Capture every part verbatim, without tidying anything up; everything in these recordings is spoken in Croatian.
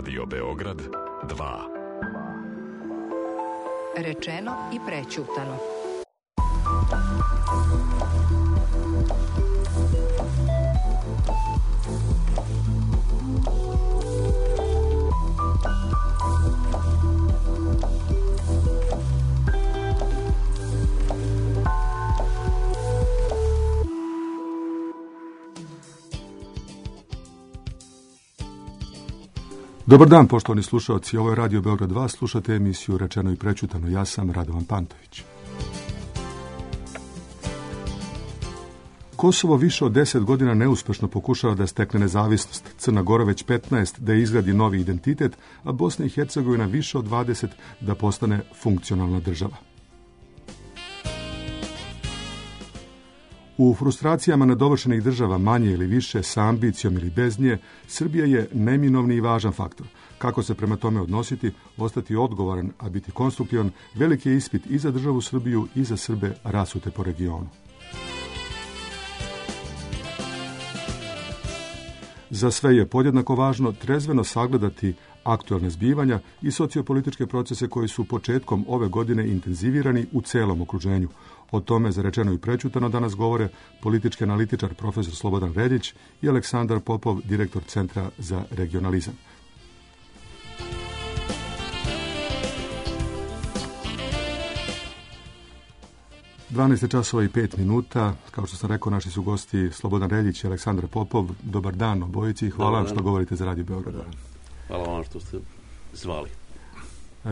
Radio Beograd dva. Rečeno i prećutano. Dobar dan, poštovani slušalci. Ovo je Radio Beograd dva. Slušate emisiju Rečeno i prećutano. Ja sam Radovan Pantović. Kosovo više od deset godina neuspešno pokušava da stekne nezavisnost. Crna Gora već petnaest da izgradi novi identitet, a Bosna i Hercegovina više od dvadeset da postane funkcionalna država. U frustracijama nedovršenih država, manje ili više, sa ambicijom ili bez nje, Srbija je neminovni i važan faktor. Kako se prema tome odnositi, ostati odgovoran, a biti konstruktivan, veliki je ispit i za državu Srbiju i za Srbe rasute po regionu. Za sve je podjednako važno trezveno sagledati aktualne zbivanja i sociopolitičke procese koji su početkom ove godine intenzivirani u celom okruženju. O tome za Rečeno i prećutano danas govore politički analitičar profesor Slobodan Reljić i Aleksandar Popov, direktor Centra za regionalizam. dvanaest časova i pet minuta. Kao što sam rekao, naši su gosti Slobodan Reljić i Aleksandar Popov. Dobar dan obojici i hvala vam što govorite za Radio Beograd. Hvala vam što ste zvali.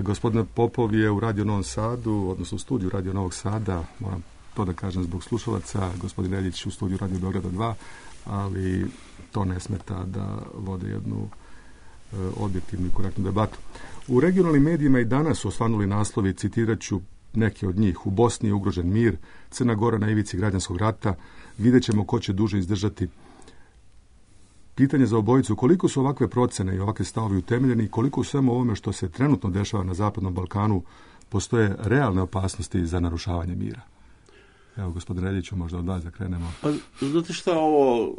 Gospodin Popov je u Radio Novom Sadu, odnosno u studiju Radio Novog Sada, moram to da kažem zbog slušalaca, gospodin Reljić u studiju Radio Beograda dva, ali to ne smeta da vode jednu e, objektivnu i korektnu debatu. U regionalnim medijima i danas su osvanuli naslovi, citirat ću neke od njih. U Bosni je ugrožen mir, Crna Gora na ivici građanskog rata, vidjet ćemo ko će duže izdržati. Pitanje za obojicu, koliko su ovakve procene i ovakve stavovi utemeljeni i koliko u svemu ovome što se trenutno dešava na Zapadnom Balkanu postoje realne opasnosti za narušavanje mira? Evo, gospodin Reljiću, možda od vas da krenemo. Pa, znate šta, ovo,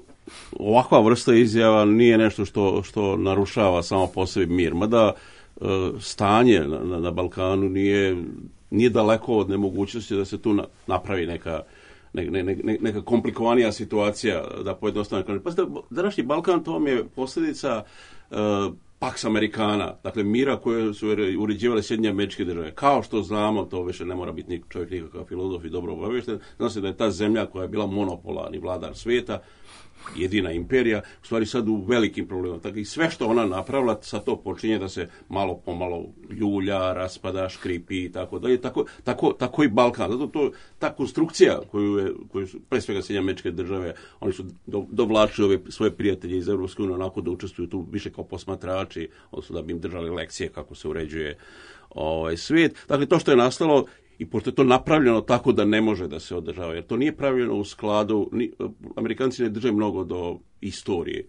ovakva vrsta izjava nije nešto što, što narušava samo po sebi mir. Mada e, stanje na, na, na Balkanu nije, nije daleko od nemogućnosti da se tu na, napravi neka Ne, ne, ne, neka komplikovanija situacija, da pojednostavno. Pa današnji Balkan, to vam je posljedica uh, Pax Americana, dakle mira koje su uređivale Sjedinjene Američke Države. Kao što znamo, to više ne mora biti čovjek nikakav filozof i dobro obavješten, zna se da je ta zemlja koja je bila monopolarni vladar svijeta, jedina imperija, u stvari sad u velikim problemima. Tako i sve što ona napravila, sad to počinje da se malo pomalo ljulja, raspada, škripi i tako dalje. Tako, tako, tako i Balkan. Zato to, ta konstrukcija koju, je, koju su, pre svega Sjedinjene Američke Države, oni su do, dovlačili ove svoje prijatelje iz Europske unije onako da učestvuju tu više kao posmatrači, odnosno da bi im držali lekcije kako se uređuje ovaj svijet. Dakle, to što je nastalo, i pošto je to napravljeno tako da ne može da se održava, jer to nije pravljeno u skladu, ni, Amerikanci ne drže mnogo do istorije.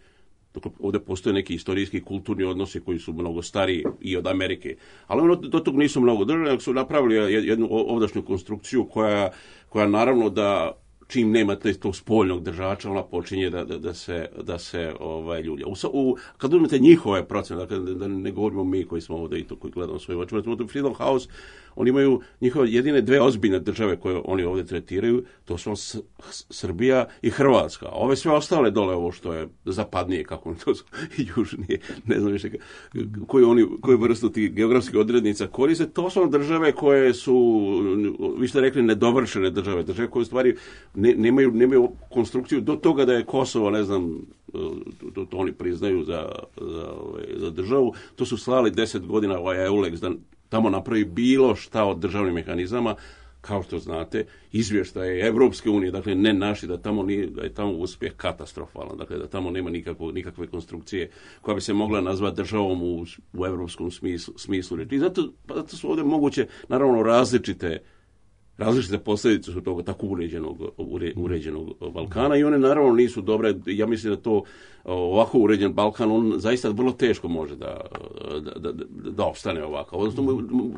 Dakle, ovdje postoje neki historijski kulturni odnosi koji su mnogo stariji i od Amerike, ali ono do tog nisu mnogo držali, nego su napravili jednu ovdašnju konstrukciju koja, koja naravno da čim nema tog spoljnog držača, ona počinje da, da, da se, da se ovaj, ljulja. U, u, kad uzmete njihove procene, dakle, da ne govorimo mi koji smo ovdje i to koji gledamo svoje oči, u Freedom House, oni imaju njihove jedine dve ozbiljne države koje oni ovdje tretiraju, to su S- Srbija i Hrvatska. A ove sve ostale dole, ovo što je zapadnije, kako oni to su, i južnije, ne znam više koju oni, koju vrstu tih geografskih odrednica koriste, to su države koje su, vi ste rekli, nedovršene države, države koje u stvari ne, nemaju, nemaju konstrukciju do toga da je Kosovo, ne znam, to, to oni priznaju za, za, za državu, to su slali deset godina ovaj EULEX da tamo napravi bilo šta od državnih mehanizama, kao što znate, izvještaje Evropske unije, dakle ne naši, da tamo nije, da je tamo uspjeh katastrofalan, dakle da tamo nema nikakvo, nikakve konstrukcije koja bi se mogla nazvati državom u, u evropskom smislu, smislu reči. I zato, zato su ovdje moguće, naravno, različite različite posljedice su toga tako uređenog, ure, uređenog Balkana i one naravno nisu dobre. Ja mislim da to ovako uređen Balkan, on zaista vrlo teško može da, da, da, da opstane ovako. Odnosno,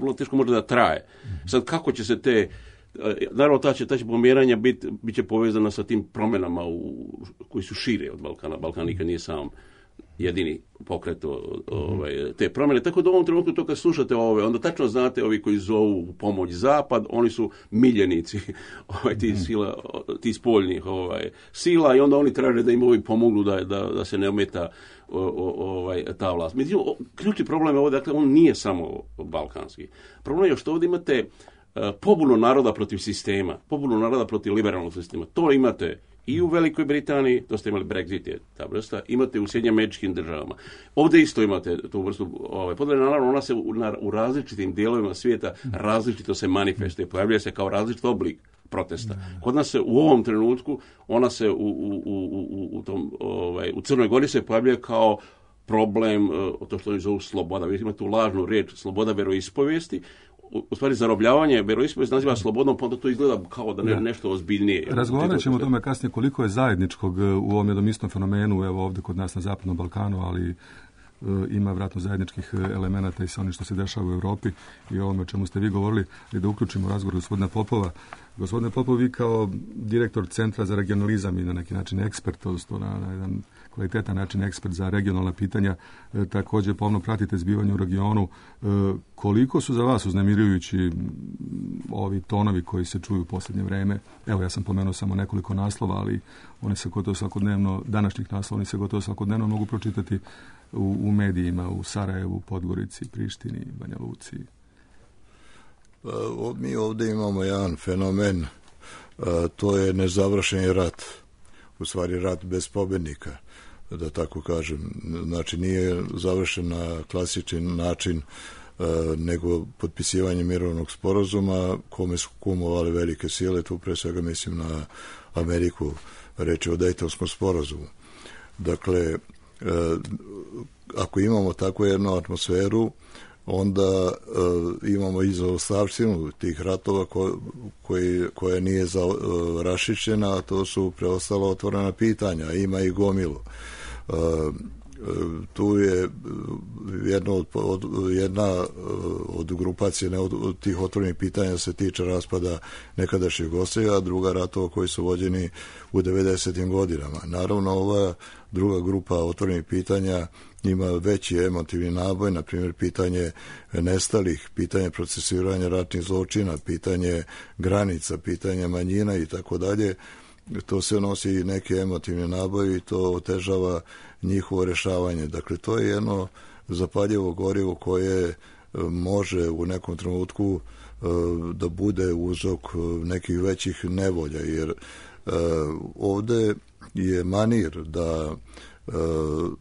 vrlo teško može da traje. Sad, kako će se te, naravno, ta će, ta će pomjeranja biti bit će povezana sa tim promjenama u, koji su šire od Balkana. Balkan nikad nije sam jedini pokret ovaj, te promjene. Tako da u ovom trenutku to kad slušate ove, onda tačno znate ovi koji zovu u pomoć Zapad, oni su miljenici ovaj, ti, sila, ti spoljnih ovaj, sila i onda oni traže da im ovi pomognu da, da, da se ne ometa o, o, ovaj, ta vlast. Međutim, ključni problem je ovo, dakle, on nije samo balkanski. Problem je što ovdje imate uh, pobunu naroda protiv sistema, pobunu naroda protiv liberalnog sistema. To imate i u Velikoj Britaniji, to ste imali Brexit, je ta vrsta, imate u Sjedinjenim Američkim Državama. Ovdje isto imate tu vrstu ovaj, podjele, naravno ona se u, na, u različitim dijelovima svijeta različito se manifestuje, pojavljuje se kao različit oblik protesta. Kod nas se u ovom trenutku, ona se u, u, u, u, u, tom, ovaj, u Crnoj Gori se pojavljuje kao problem, to što oni zovu sloboda. Vi imate tu lažnu riječ, sloboda veroispovijesti. U stvari zarobljavanje veroispovijest naziva slobodnom, pa onda to izgleda kao da ne, nešto ozbiljnije. Razgovarat ćemo o tome kasnije koliko je zajedničkog u ovom jednom istom fenomenu, evo ovdje kod nas na Zapadnom Balkanu, ali ima vjerojatno zajedničkih elemenata i sa onim što se dešava u Europi i ovome o čemu ste vi govorili, i da uključimo razgovor gospodina Popova. Gospodine Popov, vi kao direktor Centra za regionalizam i na neki način ekspert, odnosno na, na jedan kvalitetan način ekspert za regionalna pitanja, e, također pomno pratite zbivanje u regionu. E, koliko su za vas uznemirujući ovi tonovi koji se čuju u posljednje vrijeme? Evo, ja sam pomenuo samo nekoliko naslova, ali oni se gotovo svakodnevno, današnjih naslova, oni se gotovo svakodnevno mogu pročitati u, u medijima, u Sarajevu, Podgorici, Prištini, Banja Luci. Mi ovdje imamo jedan fenomen, to je nezavršeni rat, u stvari rat bez pobjednika, da tako kažem. Znači nije završen na klasični način, nego potpisivanje mirovnog sporazuma kome su kumovali velike sile, tu pre svega mislim na Ameriku, reći o Dejtonskom sporazumu. Dakle, ako imamo takvu jednu atmosferu, onda uh, imamo i zaostavštinu tih ratova ko, koji, koja nije za, uh, rašićena, a to su preostala otvorena pitanja, ima i gomilu. Uh, tu je jedna od, od, jedna od grupacije ne, od, od tih otvorenih pitanja se tiče raspada nekadašnjeg Jugoslavije, a druga ratova koji su vođeni u devedesetim godinama. Naravno, ova druga grupa otvorenih pitanja ima veći emotivni naboj, na primjer pitanje nestalih, pitanje procesuiranja ratnih zločina, pitanje granica, pitanje manjina i tako dalje. To se nosi i neki emotivni naboj i to otežava njihovo rješavanje. Dakle, to je jedno zapaljivo gorivo koje može u nekom trenutku da bude uzrok nekih većih nevolja, jer ovdje je manir da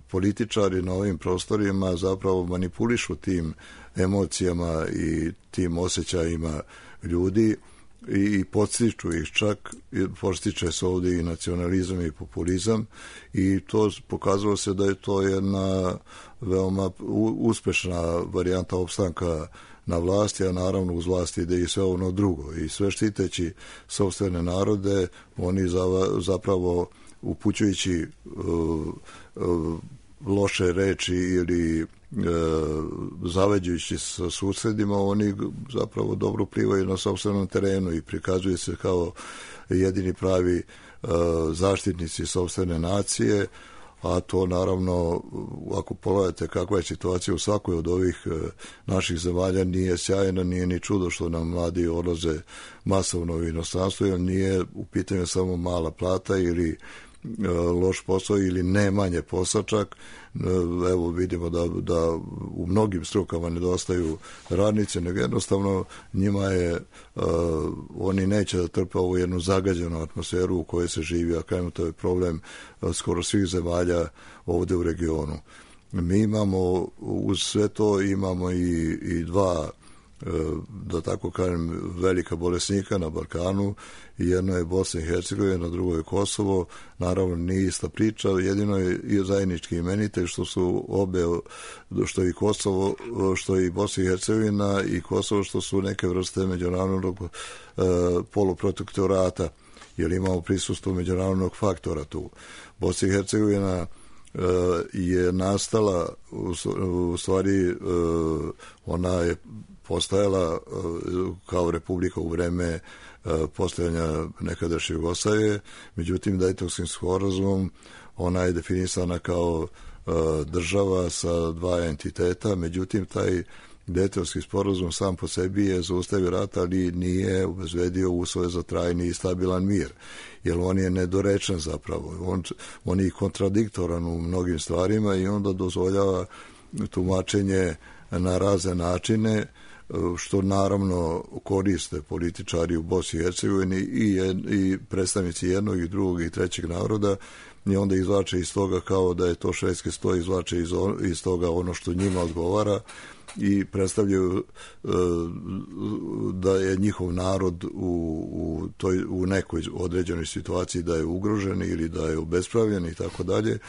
političari na ovim prostorima zapravo manipulišu tim emocijama i tim osjećajima ljudi i podstiču ih, čak podstiče se ovdje i nacionalizam i populizam, i to pokazalo se da je to jedna veoma uspešna varijanta opstanka na vlasti, a naravno uz vlasti ide i sve ono drugo, i sve štiteći sopstvene narode oni zapravo upućujući uh, uh, loše reči ili uh, zaveđujući sa susjedima, oni zapravo dobro plivaju na sopstvenom terenu i prikazuju se kao jedini pravi uh, zaštitnici sopstvene nacije, a to naravno, ako pogledate kakva je situacija u svakoj od ovih uh, naših zemalja, nije sjajno, nije ni čudo što nam mladi odlaze masovno u inostranstvo, jer nije u pitanju samo mala plata ili loš posao ili ne manje posao čak. Evo vidimo da, da u mnogim strukama nedostaju radnice, nego jednostavno njima je, uh, oni neće da trpe ovu jednu zagađenu atmosferu u kojoj se živi, a kajmo to je problem uh, skoro svih zemalja ovdje u regionu. Mi imamo, uz sve to imamo i, i dva, da tako kažem, velika bolesnika na Balkanu, i jedno je Bosna i Hercegovina, drugo je Kosovo. Naravno nije ista priča, jedino je i zajednički imenitelj što su obe, što i Kosovo, što i Bosna i Hercegovina i Kosovo, što su neke vrste međunarodnog uh, poluprotektorata, jer imamo prisustvo međunarodnog faktora tu. Bosna i Hercegovina uh, je nastala u, u stvari uh, ona je postajala kao republika u vreme postojanja nekadašnje Jugoslavije, međutim Dejtonskim sporazumom ona je definisana kao država sa dva entiteta, međutim taj Dejtonski sporazum sam po sebi je zaustavio rat, ali nije obezbedio uslove za trajni i stabilan mir, jer on je nedorečen zapravo. On, on je kontradiktoran u mnogim stvarima i onda dozvoljava tumačenje na razne načine, što naravno koriste političari u Bosni i Hercegovini i, jed, i predstavnici jednog i drugog i trećeg naroda, i onda izvlače iz toga kao da je to švedski sto, izvlače iz, iz toga ono što njima odgovara i predstavljaju e, da je njihov narod u, u, toj, u nekoj određenoj situaciji da je ugrožen ili da je obespravljen i tako dalje,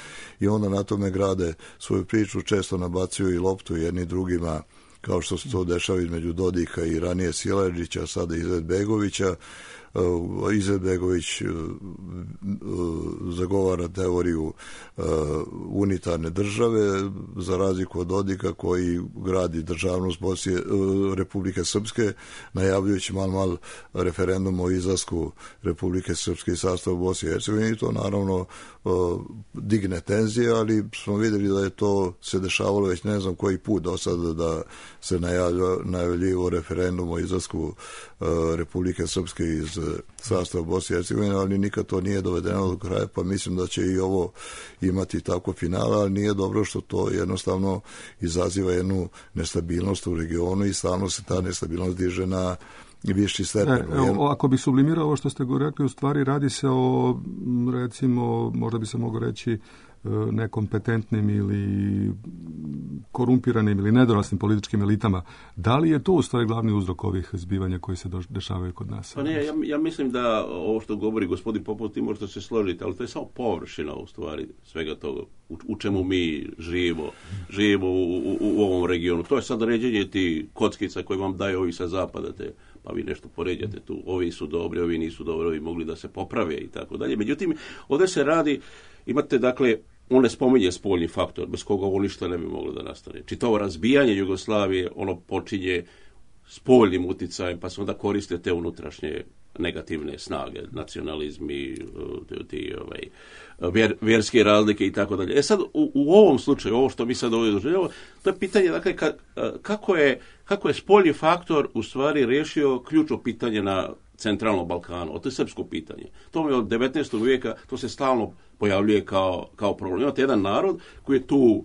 i onda na tome grade svoju priču, često nabacuju i loptu jedni drugima, kao što se to dešava između Dodika i ranije Silajdžića, sada Izetbegovića. Izetbegović zagovara teoriju unitarne države, za razliku od Dodika koji gradi državnost Bosne, Republike Srpske, najavljujući mal mal referendum o izlasku Republike Srpske iz sastava Bosne i Hercegovine, i to naravno digne tenzije, ali smo vidjeli da je to se dešavalo već ne znam koji put do sada, da se najavljivo referendum o izlasku Republike Srpske iz sastava Bosne i Hercegovine, ali nikad to nije dovedeno do kraja, pa mislim da će i ovo imati tako finala, ali nije dobro što to jednostavno izaziva jednu nestabilnost u regionu i stalno se ta nestabilnost diže na viši stepen. E, evo, ako bi sublimirao ovo što ste go rekli, u stvari radi se o, recimo, možda bi se moglo reći, nekompetentnim ili korumpiranim ili nedoraslim političkim elitama. Da li je to u stvari glavni uzrok ovih zbivanja koji se dešavaju kod nas? Pa ne, ja, ja mislim da ovo što govori gospodin Popov, ti možete se složiti, ali to je samo površina u stvari svega toga u, u čemu mi živimo, živimo u, u, u ovom regionu. To je sad ređenje ti kockica koje vam daju ovi sa zapada, te, pa vi nešto poređate tu, ovi su dobri, ovi nisu dobri, ovi mogli da se poprave i tako dalje. Međutim, ovdje se radi, imate dakle, on ne spominje spoljni faktor, bez koga ovo ništa ne bi moglo da nastane. Čitavo razbijanje Jugoslavije, ono počinje spoljnim uticajem, pa se onda koriste te unutrašnje negativne snage, nacionalizmi, ti, ovaj, vjer, vjerske razlike i tako dalje. E sad, u, u ovom slučaju, ovo što mi sad ovdje doživljamo, to je pitanje, dakle, ka, kako je, kako je spoljni faktor u stvari riješio ključno pitanje na centralnom Balkanu, to je srpsko pitanje. To je od devetnaestog vijeka, to se stalno pojavljuje kao, kao problem. Imate jedan narod koji je tu,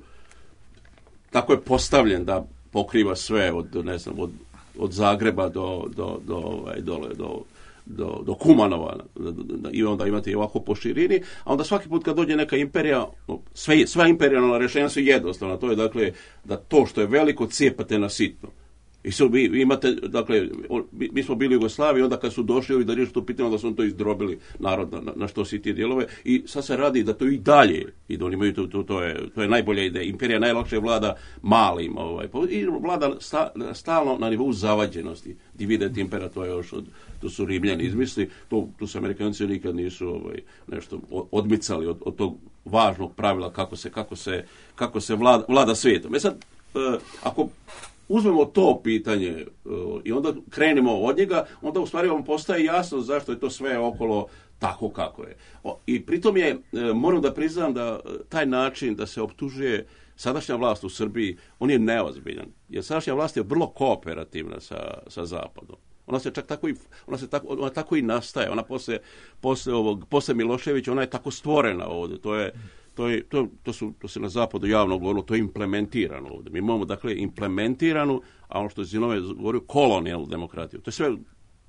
tako je postavljen da pokriva sve od, ne znam, od, od Zagreba do, do, do, ovaj, dole, do, do, do Kumanova, i onda imate i ovako po širini, a onda svaki put kad dođe neka imperija, sve, sva imperijalna rješenja su jednostavna, to je dakle da to što je veliko cijepate na sitno. I so, vi, vi imate, dakle, mi, mi smo bili u Jugoslaviji, onda kad su došli ovi da riješu to pitanje, onda su to izdrobili narod na, na što si ti dijelove, i sad se radi da to i dalje, i da oni imaju to, to, to, je, to je najbolja ideja. Imperija najlakše vlada malim, ovaj, i vlada sta, stalno na nivou zavađenosti. Dividet impera, to je još od, to su Rimljani izmisli, to, to su Amerikanci nikad nisu ovaj, nešto odmicali od, od tog važnog pravila kako se, kako se, kako se vlada, vlada svijetom. E sad, eh, ako uzmemo to pitanje uh, i onda krenemo od njega, onda u stvari vam postaje jasno zašto je to sve okolo tako kako je. O, i pritom je, uh, moram da priznam da uh, taj način da se optužuje sadašnja vlast u Srbiji, on je neozbiljan. Jer sadašnja vlast je vrlo kooperativna sa, sa Zapadom. Ona se čak tako i, ona se tako, ona tako i nastaje. Ona posle, posle, ovog, posle Miloševića, ona je tako stvorena ovdje. To je To, je, to, to, su, to se na zapadu javno govorilo, to je implementirano ovdje. Mi imamo, dakle, implementiranu, a ono što je Zinove govorio, kolonijalnu demokratiju. To je sve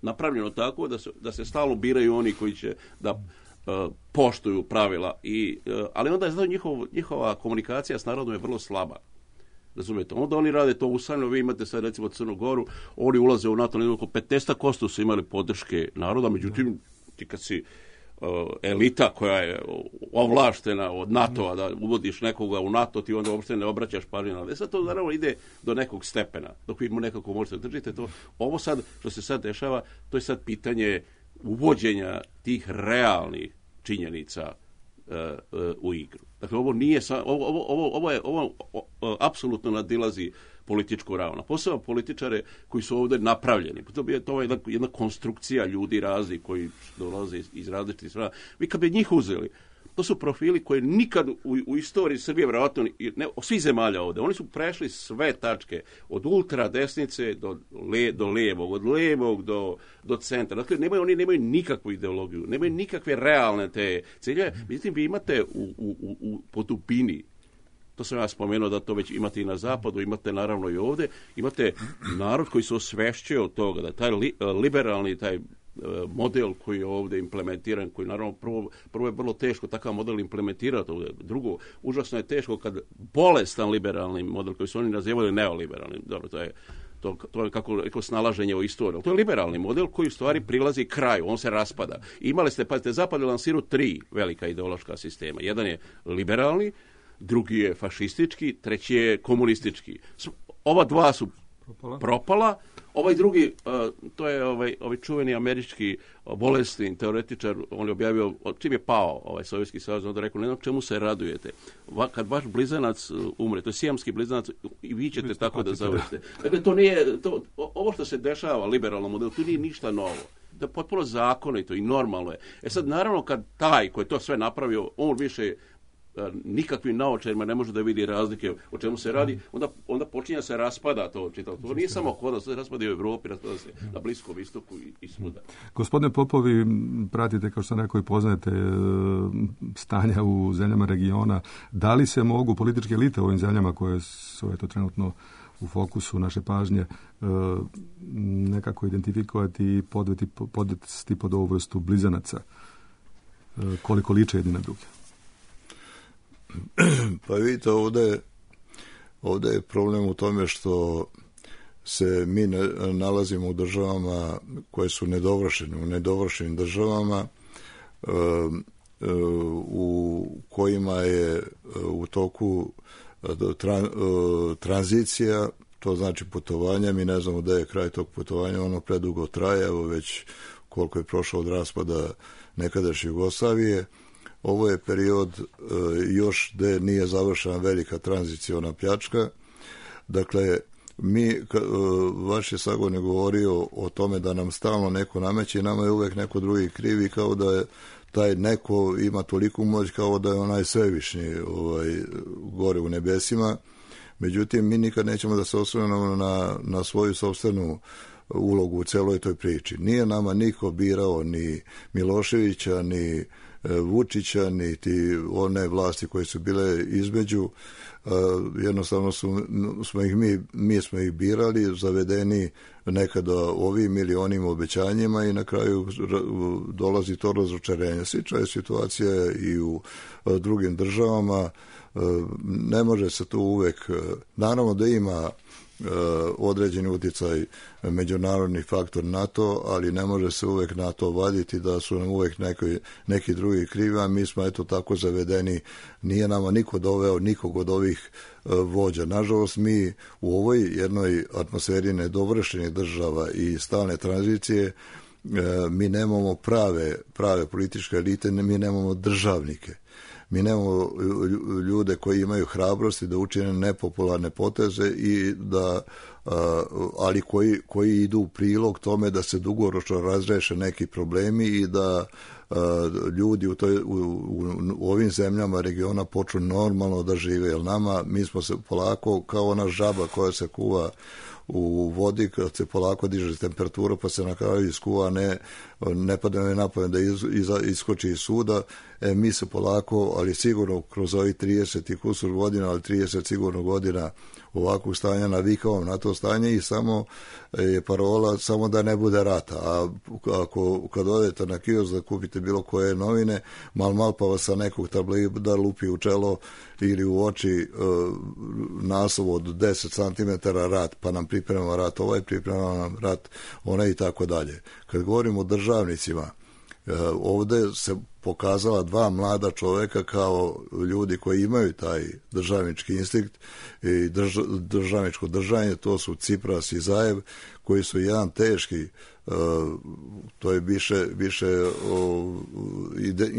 napravljeno tako da se, da se stalno biraju oni koji će da uh, poštuju pravila. I, uh, ali onda je njihov, njihova komunikacija s narodom je vrlo slaba. Razumijete? Onda oni rade to usamljeno, vi imate sad recimo Crnu Goru, oni ulaze u NATO, oko petnaest posto su imali podrške naroda, međutim, ti kad si elita koja je ovlaštena od NATO-a da uvodiš nekoga u NATO, ti onda uopšte ne obraćaš pažnju na. Sad to naravno ide do nekog stepena, dok vi mu nekako možete držite to. Ovo sad, što se sad dešava, to je sad pitanje uvođenja tih realnih činjenica uh, uh, u igru. Dakle, ovo nije, sa, ovo, ovo, ovo, ovo je, ovo o, apsolutno nadilazi političku ravno. Posebno političare koji su ovdje napravljeni. To je to jedna, jedna konstrukcija ljudi razni koji dolaze iz, iz različitih strana. Vi kad bi njih uzeli, to su profili koji nikad u, u istoriji Srbije, vjerojatno, ne, svih zemalja ovdje, oni su prešli sve tačke, od ultra desnice do, le, do lijevog, od lijevog do, do centra. Dakle, nemaju, oni nemaju nikakvu ideologiju, nemaju nikakve realne te ciljeve. Međutim, vi imate u, u, u, u po dubini, to sam ja spomenuo da to već imate i na zapadu, imate naravno i ovdje, imate narod koji se osvešćuje od toga, da taj li, liberalni, taj model koji je ovdje implementiran, koji naravno prvo, prvo je vrlo teško takav model implementirati ovdje. Drugo, užasno je teško kad bolestan liberalni model koji su oni nazivali neoliberalni, dobro, to je To, to je kako rekao snalaženje u istoriju. To je liberalni model koji u stvari prilazi kraju, on se raspada. Imali ste, pazite, Zapad je lansirao tri velika ideološka sistema. Jedan je liberalni, drugi je fašistički, treći je komunistički. Ova dva su propala, propala. Ovaj drugi, uh, to je ovaj, ovaj čuveni američki uh, bolesni teoretičar, on je objavio, čim je pao ovaj Sovjetski savez, onda rekao, ne znam čemu se radujete. Va, kad vaš blizanac uh, umre, to je sijamski blizanac, i vi ćete tako da završite. Dakle, to nije, to, ovo što se dešava liberalnom modelu, to nije ništa novo. To je potpuno zakonito i normalno je. E sad, naravno, kad taj koji to sve napravio, on više nikakvim naočarima ne može da vidi razlike o čemu se radi, onda, onda počinje se raspada to čitalo. To nije samo kod nas, se raspada i u Evropi, raspada se na Bliskom istoku i, i svuda. Gospodine Popovi, pratite, kao što neko i poznajete, stanja u zemljama regiona. Da li se mogu političke elite u ovim zemljama koje su eto, trenutno u fokusu naše pažnje nekako identifikovati i podveti, podvesti pod ovu vrstu blizanaca? Koliko liče jedni na druge? Pa vidite, ovdje, ovdje je problem u tome što se mi ne, nalazimo u državama koje su nedovršene, u nedovršenim državama e, e, u kojima je u toku tra, tranzicija, to znači putovanja, mi ne znamo da je kraj tog putovanja, ono predugo traje, evo već koliko je prošlo od raspada nekadašnje Jugoslavije. Ovo je period e, još gdje nije završena velika tranziciona pljačka. Dakle, mi, ka, e, vaš je sagovornik govorio o tome da nam stalno neko nameće i nama je uvijek neko drugi krivi, kao da je taj neko ima toliku moć kao da je onaj svevišnji ovaj, gore u nebesima. Međutim, mi nikad nećemo da se osvrnemo na, na svoju sopstvenu ulogu u celoj toj priči. Nije nama niko birao ni Miloševića, ni Vučića, niti one vlasti koje su bile između. Jednostavno su, smo ih mi, mi smo ih birali, zavedeni nekada ovim ili onim obećanjima i na kraju dolazi to razočarenje. Slična je situacija i u drugim državama. Ne može se tu uvek, naravno da ima određeni utjecaj međunarodni faktor NATO, ali ne može se uvek na to vaditi da su nam uvek neki, neki drugi krivi, a mi smo eto tako zavedeni, nije nama niko doveo nikog od ovih vođa. Nažalost, mi u ovoj jednoj atmosferi nedovršenih država i stalne tranzicije mi nemamo prave, prave političke elite, mi nemamo državnike. Mi nemamo ljude koji imaju hrabrosti da učine nepopularne poteze i da, ali koji, koji idu u prilog tome da se dugoročno razreše neki problemi i da ljudi u, toj, u, u, u ovim zemljama regiona počnu normalno da žive. Jer nama, mi smo se polako kao ona žaba koja se kuva u vodi, kad se polako diže temperatura pa se na kraju iskuva, ne, ne pada ne napamet da iz, iz, iskoči iz suda. E, mi se polako, ali sigurno kroz ovih trideset i kusur godina, ali trideset sigurno godina ovakvog stanja navikavamo na to stanje i samo je parola samo da ne bude rata. A ako kad odete na kiosk da kupite bilo koje novine, mal mal pa vas sa nekog tabloida lupi u čelo ili u oči uh, naslov od deset centimetara rat, pa nam priprema rat ovaj, priprema nam rat onaj i tako dalje. Kad govorimo o državnicima, uh, ovdje se pokazala dva mlada čovjeka kao ljudi koji imaju taj državnički instinkt i drž, državničko držanje, to su Cipras i Zajev, koji su jedan teški, uh, to je više, više uh, ide,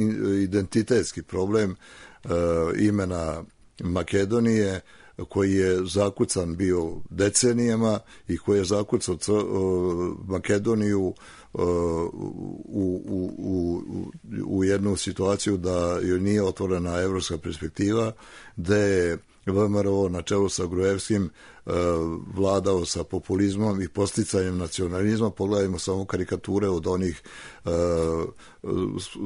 identitetski problem uh, imena Makedonije, koji je zakucan bio decenijama i koji je zakucao Makedoniju u, u, u, u jednu situaciju da joj nije otvorena evropska perspektiva, da je V M R O na čelu sa Gruevskim vladao sa populizmom i posticanjem nacionalizma. Pogledajmo samo karikature od onih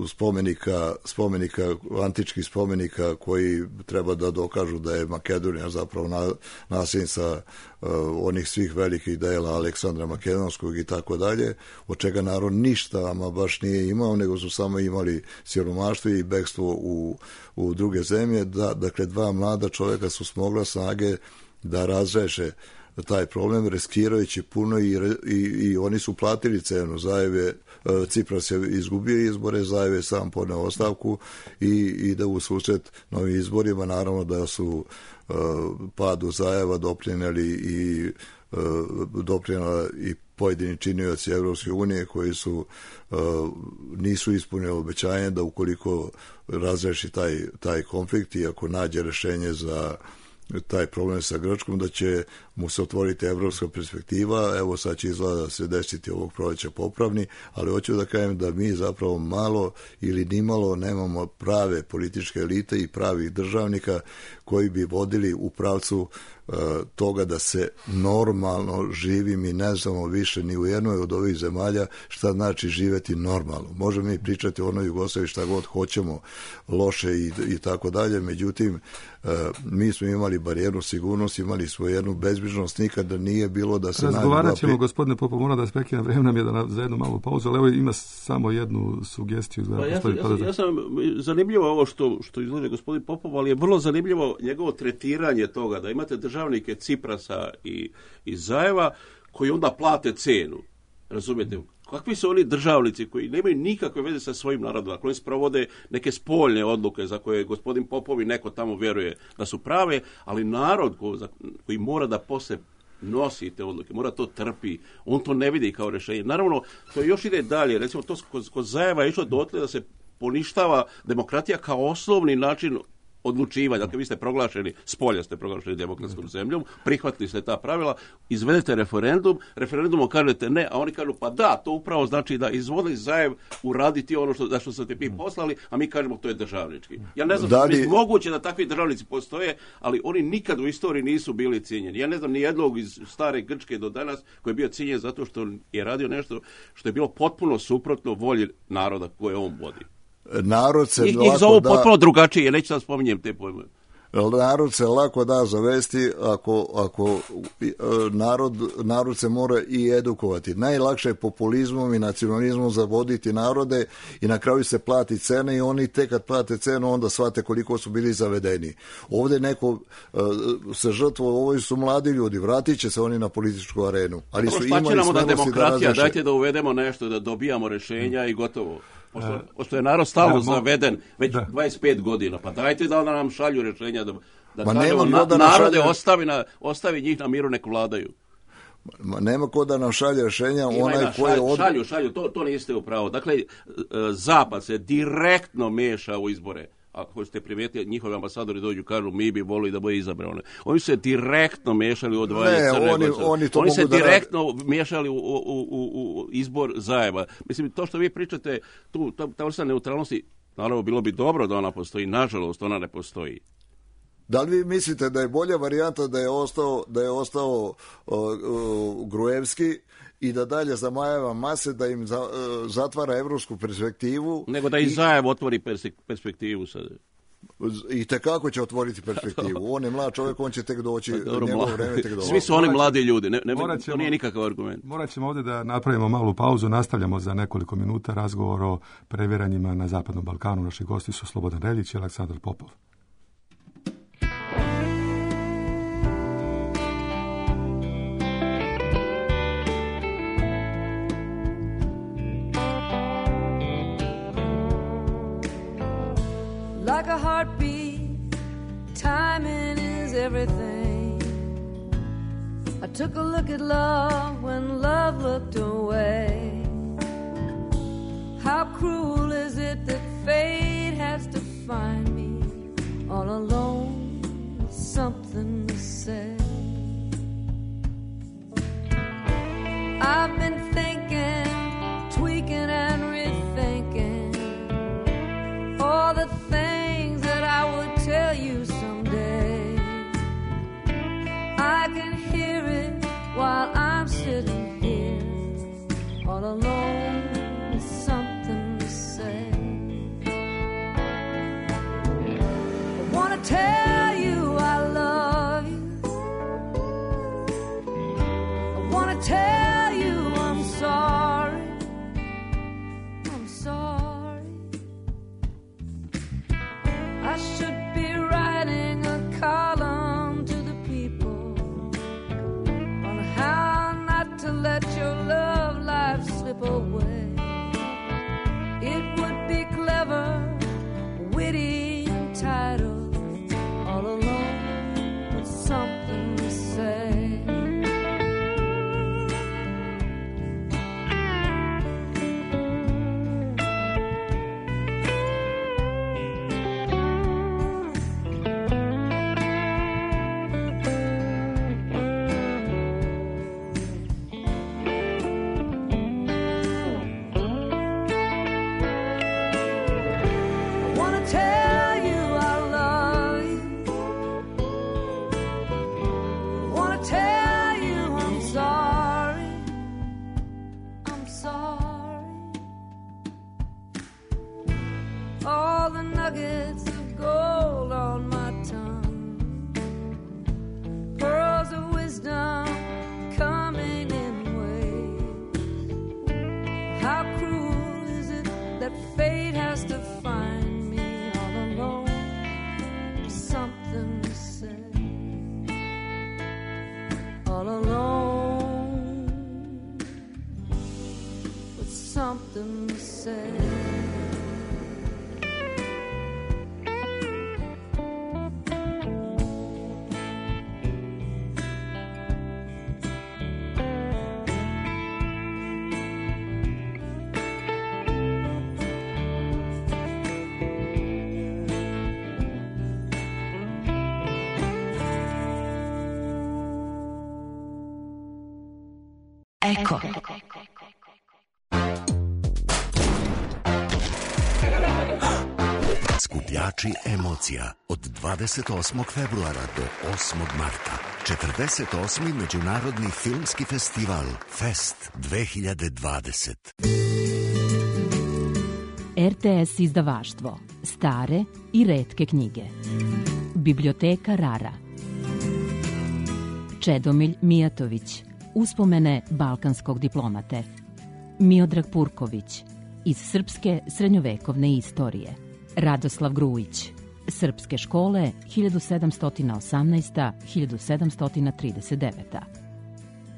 spomenika, spomenika, antičkih spomenika koji treba da dokažu da je Makedonija zapravo na, nasljednica onih svih velikih dela Aleksandra Makedonskog i tako dalje, od čega narod ništa ama baš nije imao, nego su samo imali siromaštvo i bekstvo u, u druge zemlje. Da, dakle, dva mlada čovjeka su smogla snage da razreše taj problem, riskirajući puno i, i, i oni su platili cenu. Zajev je, Cipras je izgubio izbore, Zajev je sam podneo ostavku i ide u susret novim izborima. Naravno da su uh, padu Zajeva doprinjeli i uh, doprinjela i pojedini činioci Evropske unije koji su uh, nisu ispunili obećanje da ukoliko razreši taj, taj konflikt i ako nađe rešenje za taj problem sa Grčkom, da će mu se otvoriti evropska perspektiva. Evo sad će izgleda da se desiti ovog proleća popravni, ali hoću da kažem da mi zapravo malo ili nimalo nemamo prave političke elite i pravih državnika koji bi vodili u pravcu uh, toga da se normalno živi. Mi ne znamo više ni u jednoj od ovih zemalja šta znači živeti normalno. Možemo mi pričati o onoj Jugoslaviji šta god hoćemo, loše i, i tako dalje, međutim uh, mi smo imali barijernu sigurnost, imali smo jednu bezbrižnost, nikada nije bilo da se... Razgovarat ćemo, pri... gospodine Popov, mora da spekina, vreme nam je da na, za jednu malu pauzu, ali evo ima samo jednu sugestiju. Pa ja, sam, ja, sam, ja sam zanimljivo ovo što, što izlaže gospodin Popov, ali je vrlo zanimljivo njegovo tretiranje toga, da imate državnike Ciprasa i, i Zajeva koji onda plate cenu. Razumijete? Kakvi su oni državnici koji nemaju nikakve veze sa svojim narodom, ako oni sprovode neke spoljne odluke za koje gospodin Popov i neko tamo vjeruje da su prave, ali narod ko, za, koji mora da posle nosi te odluke, mora to trpi, on to ne vidi kao rješenje. Naravno, to još ide dalje. Recimo, to kod, kod Zajeva je išlo dotle da se poništava demokratija kao osnovni način odlučivanja. Dakle, vi ste proglašeni, spolja ste proglašeni demokratskom zemljom, prihvatili ste ta pravila, izvedete referendum, referendumom kažete ne, a oni kažu pa da, to upravo znači da izvoli Zajev uraditi ono što, za što ste vi poslali, a mi kažemo to je državnički. Ja ne znam, da li... je moguće da takvi državnici postoje, ali oni nikad u istoriji nisu bili cijenjeni. Ja ne znam ni jednog iz stare Grčke do danas koji je bio cijenjen zato što je radio nešto što je bilo potpuno suprotno volji naroda koje on vodi. Narod se njih, njih zovu da, potpuno drugačije, neću sad spominjem te pojme. Narod se lako da zavesti ako, ako narod, narod se mora i edukovati. Najlakše je populizmom i nacionalizmom zavoditi narode i na kraju se plati cena i oni tek kad plate cenu onda shvate koliko su bili zavedeni. Ovdje neko uh, se žrtvo, ovo su mladi ljudi, vratit će se oni na političku arenu. Ali su imali smelosti da demokratija, da dajte da uvedemo nešto, da dobijamo rješenja i gotovo. Pošto, pošto je narod stalno zaveden već da. dvadeset pet godina, pa dajte da nam šalju rješenja, da, da kažemo, na, da narode šalje... ostavi, na, ostavi njih na miru, nek vladaju. Ma nema ko da nam šalje rješenja, Ima onaj šalj, koji je... Od... Šalju, šalju, to, to niste upravo. Dakle, Zapad se direktno meša u izbore. Ako ste primijetili, njihovi ambasadori dođu, kažu, mi bi volili da bude izabrane. Oni se direktno miješali u odvajanje Crne oni, Gore. Oni, oni se da direktno radi. miješali u, u, u, u izbor Zajeva. Mislim, to što vi pričate, tu, ta, ta vrsta neutralnosti, naravno, bilo bi dobro da ona postoji. Nažalost, ona ne postoji. Da li vi mislite da je bolja varijanta da je ostao, da je ostao uh, uh, Gruevski i da dalje zamajava mase, da im za, uh, zatvara evropsku perspektivu. Nego da i Zajev otvori perspektivu sad. I tekako će otvoriti perspektivu. On je mlad čovjek, on će tek doći, njegovo vreme tek doći. Svi su oni mladi ljudi, ne, ne, ćemo, to nije nikakav argument. Morat ćemo ovdje da napravimo malu pauzu, nastavljamo za nekoliko minuta razgovor o previranjima na Zapadnom Balkanu. Naši gosti su Slobodan Reljić i Aleksandar Popov. Like a heartbeat, timing is everything. I took a look at love when love looked away. How cruel is it that fate has to find me all alone with something to say. I've been thinking, tweaking and rethinking all the things that I would tell you someday. I can hear it while I'm sitting here all alone with something to say. I wanna tell you I love you. I wanna tell you I'm sorry. I'm sorry. I should be writing a column to the people on how not to let your love life slip away. It would be clever, witty, and titled, all alone with something to say. Nuggets of gold on my tongue, pearls of wisdom coming in waves. How cruel is it that fate has to find me all alone with something to say, all alone with something to say. Eko. Skupljači emocija od dvadeset osmog februara do osmog marta. četrdeset osmi Međunarodni filmski festival Fest dve hiljade dvadeset. R T S izdavaštvo. Stare i retke knjige. Biblioteka Rara. Čedomilj Mijatović. Uspomene balkanskog diplomate. Miodrag Purković. Iz srpske srednjovekovne istorije. Radoslav Grujić. Srpske škole hiljadu sedamsto osamnaesti do hiljadu sedamsto trideset devete.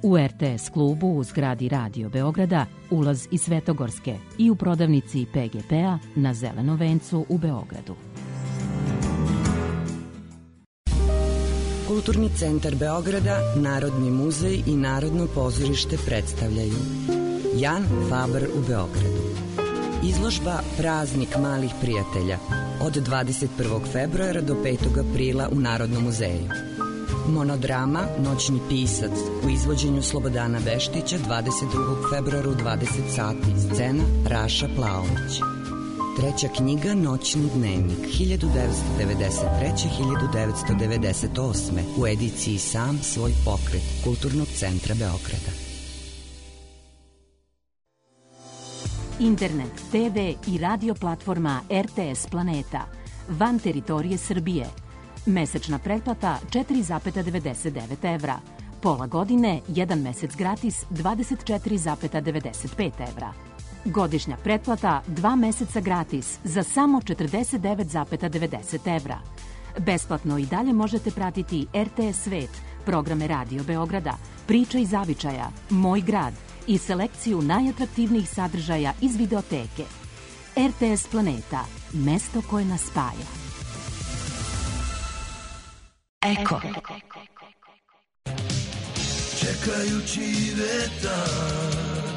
U R T S klubu u zgradi Radio Beograda ulaz iz Svetogorske i u prodavnici P G P-a na Zelenom vencu u Beogradu. Kulturni centar Beograda, Narodni muzej i Narodno pozorište predstavljaju Jan Faber u Beogradu. Izložba Praznik malih prijatelja od dvadeset prvog februara do petog aprila u Narodnom muzeju. Monodrama Noćni pisac u izvođenju Slobodana Veštića dvadeset drugog februara u dvadeset sati. Scena Raša Plaović. Treća knjiga Noćni dnevnik hiljadu devetsto devedeset treće do hiljadu devetsto devedeset osme u ediciji Sam svoj pokret Kulturnog centra Beograda. Internet, T V i radio platforma R T S Planeta van teritorije Srbije. Mesečna pretplata četiri zarez devedeset devet evra. Pola godine, jedan mesec gratis dvadeset četiri zarez devedeset pet evra. Godišnja pretplata dva meseca gratis za samo četrdeset devet zarez devedeset evra. Besplatno i dalje možete pratiti R T S Svet, programe Radio Beograda, Priča iz zavičaja, Moj grad i selekciju najatraktivnijih sadržaja iz videoteke. R T S Planeta, mesto koje nas spaja. Eko. Čekajući vetar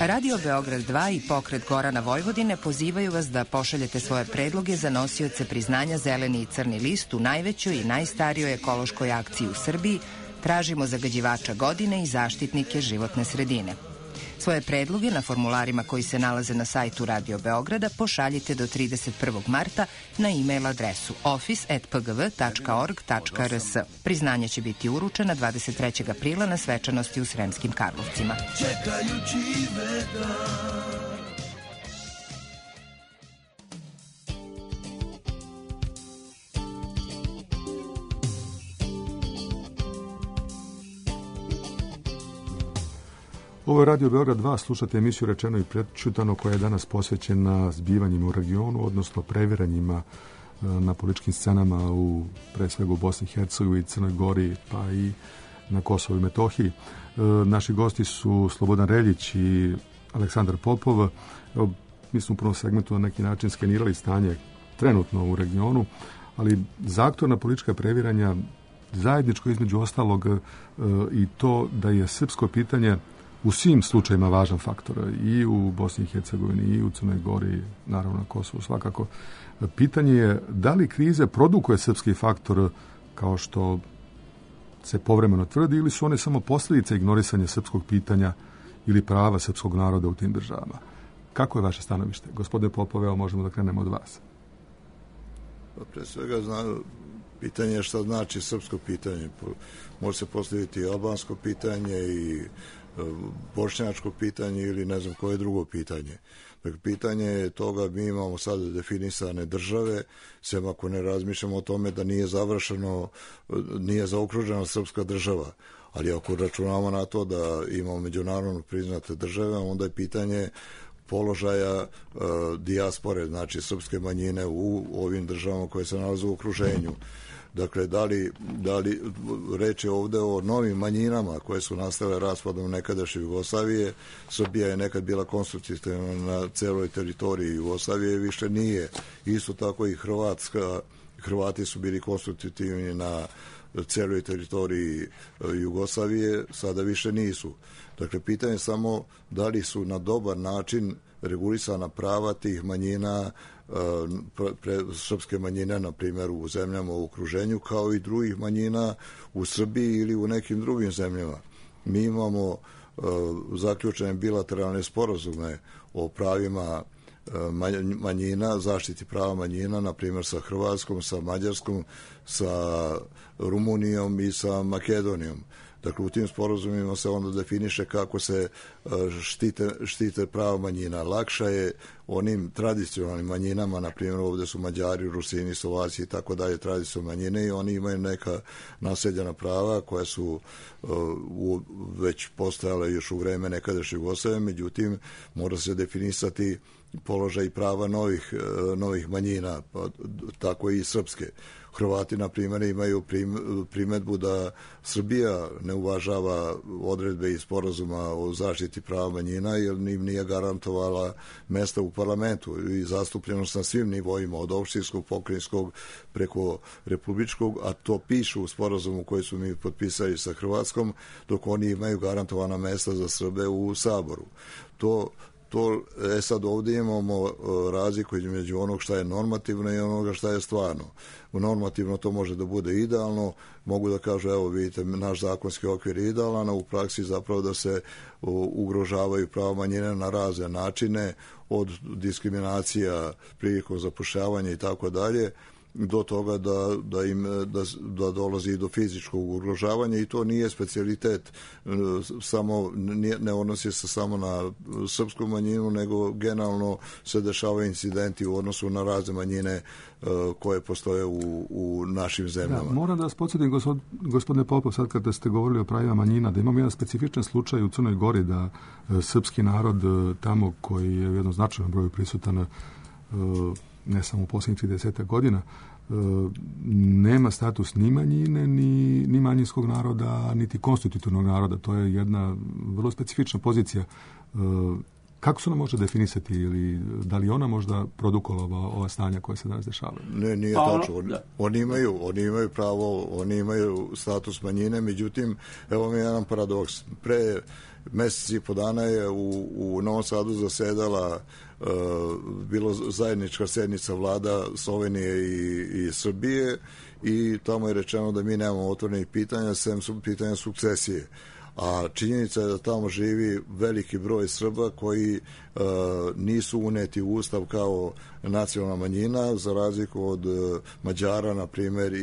Radio Beograd dva i Pokret Gorana Vojvodine pozivaju vas da pošaljete svoje predloge za nosioce priznanja Zeleni i Crni list u najvećoj i najstarijoj ekološkoj akciji u Srbiji Tražimo zagađivača godine i zaštitnike životne sredine. Svoje predloge na formularima koji se nalaze na sajtu Radio Beograda pošaljite do trideset prvog marta na e-mail adresu office at p g v tačka org tačka r s. Priznanje će biti uručena dvadeset trećeg aprila na svečanosti u Sremskim Karlovcima. Čekajući veka. Ovo je Radio Beograd dva, slušate emisiju Rečeno i prečutano koja je danas posvećena zbivanjima u regionu, odnosno previranjima na političkim scenama u, pre svega u Bosni i Hercegovini, Crnoj Gori, pa i na Kosovu i Metohiji. Naši gosti su Slobodan Reljić i Aleksandar Popov. Evo, mi smo u prvom segmentu na neki način skenirali stanje trenutno u regionu, ali za aktualna politička previranja zajedničko između ostalog i to da je srpsko pitanje u svim slučajima važan faktor, i u Bosni i Hercegovini, i u Crnoj Gori, naravno na Kosovu svakako. Pitanje je da li krize produkuje srpski faktor kao što se povremeno tvrdi, ili su one samo posljedice ignorisanja srpskog pitanja ili prava srpskog naroda u tim državama. Kako je vaše stanovište? Gospodine Popove, evo možemo da krenemo od vas. Pa pre svega zna, pitanje je šta znači srpsko pitanje. Može se postaviti i albansko pitanje i bošnjačko pitanje ili ne znam koje drugo pitanje. Dakle, pitanje je toga, mi imamo sada definisane države, sem ako ne razmišljamo o tome da nije završeno, nije zaokružena srpska država. Ali ako računamo na to da imamo međunarodno priznate države, onda je pitanje položaja uh, dijaspore, znači srpske manjine u ovim državama koje se nalaze u okruženju. Dakle, da li, da li reč je ovde o novim manjinama koje su nastale raspadom nekadašnje Jugoslavije. Srbija je nekad bila konstitutivna na celoj teritoriji Jugoslavije, više nije. Isto tako i Hrvatska, Hrvati su bili konstitutivni na celoj teritoriji Jugoslavije, sada više nisu. Dakle, pitanje je samo da li su na dobar način regulisana prava tih manjina, pre, srpske manjine, na primjer, u zemljama u okruženju, kao i drugih manjina u Srbiji ili u nekim drugim zemljama. Mi imamo uh, zaključene bilateralne sporazume o pravima uh, manjina, zaštiti prava manjina, na primjer sa Hrvatskom, sa Mađarskom, sa Rumunijom i sa Makedonijom. Dakle, u tim sporazumima se onda definiše kako se štite, štite prava manjina. Lakša je onim tradicionalnim manjinama, na primjer ovdje su Mađari, Rusini, Slovaci i tako dalje, tradicionalne manjine, i oni imaju neka naseljena prava koja su uh, u, već postojale još u vreme nekadašnje Jugoslavije, međutim mora se definisati položaj prava novih, uh, novih manjina, pa, tako i srpske. Hrvati, na primjer, imaju primedbu da Srbija ne uvažava odredbe iz sporazuma o zaštiti prava manjina jer im nije garantovala mesta u parlamentu i zastupljenost na svim nivoima, od opštinskog, pokrajinskog preko republičkog, a to piše u sporazumu koji su mi potpisali sa Hrvatskom, dok oni imaju garantovana mesta za Srbe u Saboru. To To, e sad ovdje imamo razliku između onog šta je normativno i onoga šta je stvarno. U normativno to može da bude idealno, mogu da kažu, evo vidite, naš zakonski okvir je idealan, a u praksi zapravo da se ugrožavaju prava manjine na razne načine, od diskriminacija prilikom zapošljavanja i tako dalje, do toga da, da im da, da dolazi do fizičkog ugrožavanja, i to nije specijalitet samo, nije, ne odnosi se samo na srpsku manjinu, nego generalno se dešavaju incidenti u odnosu na razne manjine uh, koje postoje u, u našim zemljama. Da, moram da vas podsjetim, gospod, gospodine Popov, sad kada ste govorili o pravima manjina, da imamo jedan specifičan slučaj u Crnoj Gori, da uh, srpski narod uh, tamo koji je u jednom značajnom broju prisutan uh, ne samo u posljednjih trideset godina, nema status ni manjine, ni, ni manjinskog naroda, niti konstitutivnog naroda. To je jedna vrlo specifična pozicija Kako se ona može definisati ili da li ona možda produkovala ova stanja koja se danas dešavaju? Ne, nije Pa, tačno. Oni, oni, imaju, oni imaju pravo, oni imaju status manjine, međutim, evo mi je jedan paradoks. Pre mjesec i po dana je u, u Novom Sadu zasedala uh, bilo zajednička sednica vlada Slovenije i, i Srbije i tamo je rečeno da mi nemamo otvorenih pitanja, sem su pitanja sukcesije. A činjenica je da tamo živi veliki broj Srba koji uh, nisu uneti u Ustav kao nacionalna manjina, za razliku od uh, Mađara, na primjer, i,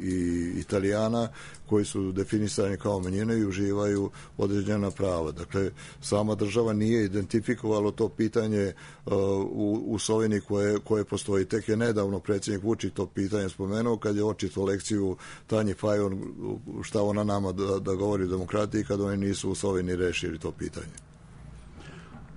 i Italijana, koji su definisani kao manjine i uživaju određena prava. Dakle, sama država nije identifikovalo to pitanje uh, u, u Sloveniji koje, koje postoji. Tek je nedavno predsjednik Vučić to pitanje spomenuo kad je očito lekciju Tanji Fajon šta ona nama da, da govori o demokratiji kad oni nisu u Sloveniji rešili to pitanje.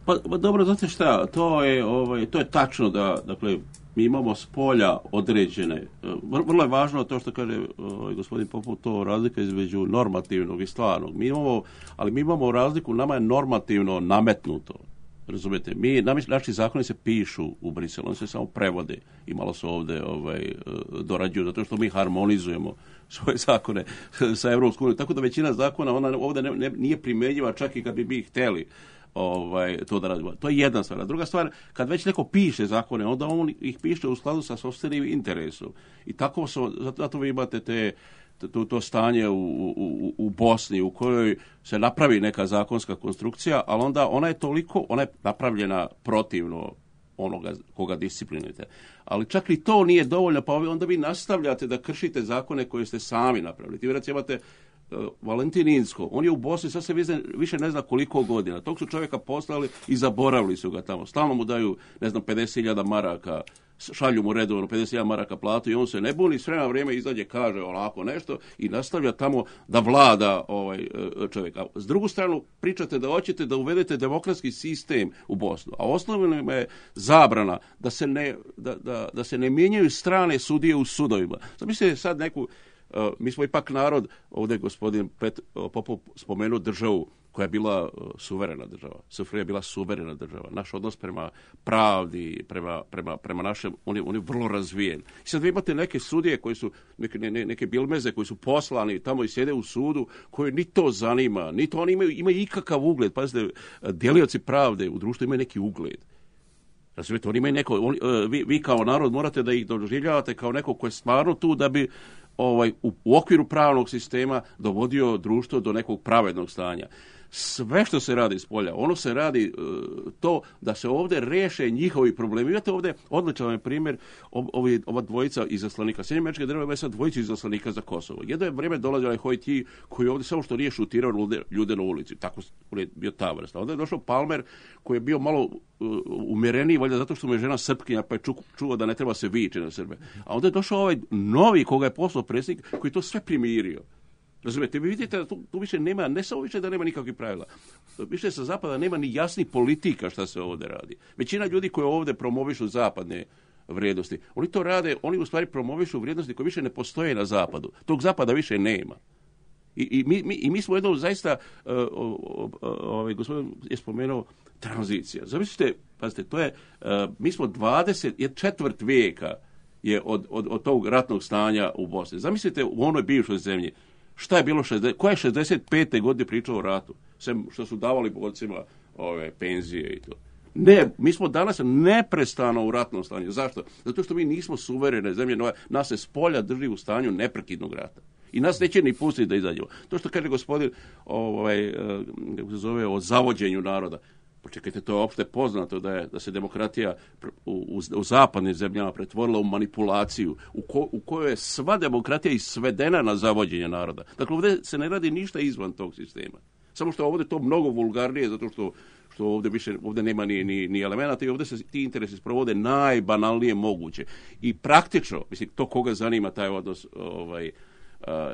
Pa, pa dobro, znate šta, to je, ovaj, to je tačno da, dakle, mi imamo s polja određene, vrlo je važno to što kaže ovaj, gospodin Popov, to razlika između normativnog i stvarnog. Mi imamo, ali mi imamo razliku, nama je normativno nametnuto. Razumete, mi, naši zakoni se pišu u Briselu, oni se samo prevode i malo se ovdje ovaj, dorađuju, zato što mi harmonizujemo svoje zakone sa Evropskom unijom. Tako da većina zakona ona ovdje ne, ne, nije primjenjiva čak i kad bi mi htjeli ovaj, to da radimo. To je jedna stvar. A druga stvar, kad već neko piše zakone, onda on ih piše u skladu sa sopstvenim interesom. I tako su, zato vi imate te To, to stanje u, u, u Bosni u kojoj se napravi neka zakonska konstrukcija, ali onda ona je toliko, ona je napravljena protivno onoga koga disciplinujete. Ali čak i to nije dovoljno, pa onda vi nastavljate da kršite zakone koje ste sami napravili. Ti vjerojatno imate uh, Valentin Inzko, on je u Bosni, sad se više ne zna koliko godina. Tog su čovjeka poslali i zaboravili su ga tamo. Stalno mu daju, ne znam, pedeset hiljada maraka, šalju mu redovno pedeset hiljada maraka platu i on se ne buni, s vremena vrijeme izađe, kaže onako nešto i nastavlja tamo da vlada ovaj čovjek. A s drugu stranu pričate da hoćete da uvedete demokratski sistem u Bosnu, a osnovno je zabrana da se ne, da, da, da se ne mijenjaju strane sudije u sudovima. Zamislite sad neku, uh, mi smo ipak narod, ovdje gospodin Pet, uh, Popov spomenuo državu koja je bila uh, suverena država. S F R J je bila suverena država. Naš odnos prema pravdi, prema, prema, prema našem, on je, on je vrlo razvijen. I sad vi imate neke sudije koji su, neke, ne, neke bilmeze koji su poslani tamo i sjede u sudu, koji ni to zanima, ni to oni imaju, imaju ikakav ugled. Pazite, djelioci pravde u društvu imaju neki ugled. Razumijete, oni imaju neko, on, vi, vi kao narod morate da ih doživljavate kao neko ko je stvarno tu da bi ovaj, u, u okviru pravnog sistema dovodio društvo do nekog pravednog stanja. Sve što se radi s polja, ono se radi uh, to da se ovdje reše njihovi problemi. Imate ovdje odličan primjer ovi, ova dvojica izaslanika. Sjedinjene Američke Države imaju sad dvojicu izaslanika za Kosovo. Jedno je vrijeme dolazio onaj Hojti koji je ovdje samo što nije šutirao ljude, ljude na ulici. Tako je bio ta vrsta. Onda je došao Palmer koji je bio malo uh, umjereniji, valjda zato što mu je žena Srpkinja pa je ču, čuo da ne treba se vići na Srbe. A onda je došao ovaj novi koga je poslao predsjednik koji to sve primirio. Razumijete, vi vidite da tu, tu više nema, ne samo više da nema nikakvih pravila, više sa zapada nema ni jasnih politika šta se ovdje radi. Većina ljudi koji ovdje promovišu zapadne vrijednosti, oni to rade, oni u stvari promovišu vrijednosti koje više ne postoje na zapadu. Tog zapada više nema. I, i, mi, mi, i mi smo jednom zaista, uh, uh, uh, ovaj gospodin je spomenuo, tranzicija. Zamislite, pazite, to je, uh, mi smo dvadeset četvrt vijeka je od, od, od tog ratnog stanja u Bosni. Zamislite u onoj bivšoj zemlji, šta je bilo, šezdeset, koja je šezdeset pete godine pričao o ratu? Sem što su davali borcima ove penzije i to. Ne, mi smo danas neprestano u ratnom stanju. Zašto? Zato što mi nismo suverene zemlje, nas se s polja drži u stanju neprekidnog rata. I nas neće ni pustiti da izađemo. To što kaže gospodin ovaj, kako se zove, o zavođenju naroda. Počekajte, to je opšte poznato da je da se demokratija u, u, u zapadnim zemljama pretvorila u manipulaciju, u, ko, u kojoj je sva demokratija isvedena na zavođenje naroda. Dakle, ovdje se ne radi ništa izvan tog sistema. Samo što ovdje to mnogo vulgarnije, zato što, što ovdje više ovdje nema ni, ni, ni elemenata i ovdje se ti interesi sprovode najbanalnije moguće. I praktično, mislim, to koga zanima taj odnos ovaj,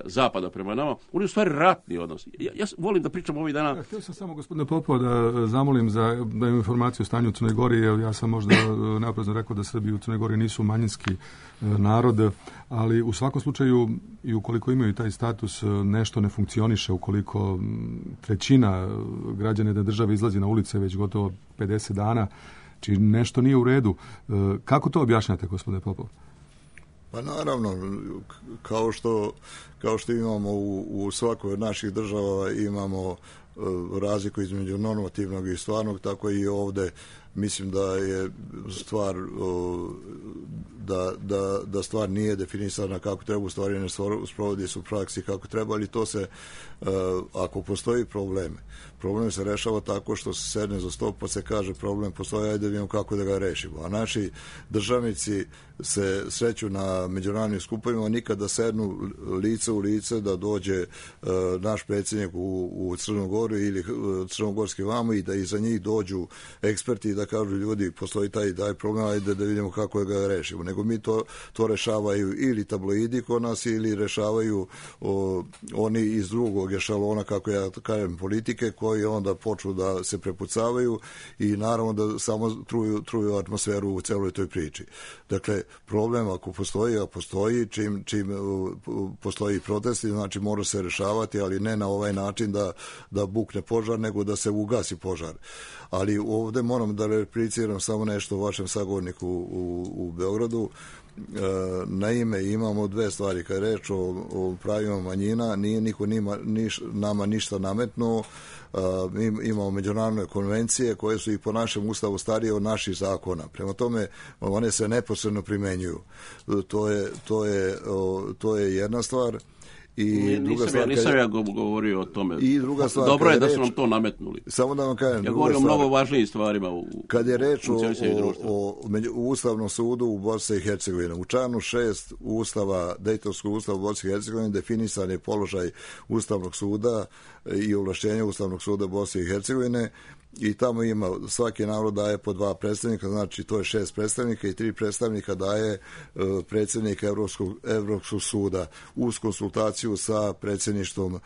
Zapada prema nama, on je u stvari ratni odnos. Ja, ja volim da pričam ovih dana... Ja, htio sam samo gospodine Popova da zamolim za da imam informaciju o stanju u Crnoj Gori, jer ja sam možda naprezno rekao da Srbi u Crnoj Gori nisu manjinski narod, ali u svakom slučaju i ukoliko imaju taj status nešto ne funkcioniše, ukoliko trećina građana da države izlazi na ulice već gotovo pedeset dana, či nešto nije u redu. Kako to objašnjate, gospodine Popov? Pa naravno, kao što, kao što imamo u, u svakoj od naših država imamo razliku između normativnog i stvarnog, tako i ovde mislim da je stvar da, da, da stvar nije definisana kako treba, u stvari ne sprovodi se u praksi kako treba, ali to se, ako postoji problem, problem se rešava tako što se sedne za stol pa se kaže problem postoji, ajde da vidimo kako da ga rešimo. A naši državnici se sreću na međunarodnim skupovima, nikada sednu lice u lice da dođe uh, naš predsjednik u, u Crnu Goru ili uh, crnogorski vamo i da iza njih dođu eksperti i da kažu ljudi postoji taj, taj problem, ajde da vidimo kako da ga rešimo. Nego mi to, to rešavaju ili tabloidi kod nas ili rešavaju o, oni iz drugog ešalona, kako ja kažem, politike, koji onda počnu da se prepucavaju i naravno da samo truju, truju atmosferu u celoj toj priči. Dakle, problem ako postoji, a postoji, čim, čim postoji protesti, znači mora se rešavati, ali ne na ovaj način da, da bukne požar, nego da se ugasi požar. Ali ovde moram da repliciram samo nešto vašem sagovorniku u, u Beogradu. Naime, imamo dve stvari. Kad je reč o, o pravima manjina, nije niko nima, niš, nama ništa nametnuo. Mi imamo međunarodne konvencije koje su i po našem ustavu starije od naših zakona. Prema tome, one se neposredno primenjuju. To je, to je, to je jedna stvar. I druga nisam, stvar, ja, nisam ja govorio o tome. I druga stvar, dobro je da reč, su nam to nametnuli. Samo da vam kažem. Ja govorim o mnogo važnijim stvarima. U, kad je reč u, o, o, o, o Ustavnom sudu u Bosni i Hercegovini, u članu šest Ustava, Dejtonskog ustava u Bosni i Hercegovini definisan je položaj Ustavnog suda i ovlašćenja Ustavnog suda Bosne i Hercegovine. I tamo ima, svaki narod daje po dva predstavnika, znači to je šest predstavnika i tri predstavnika daje uh, predsjednik Evropskog, Evropskog suda uz konsultaciju sa predsjedništvom uh,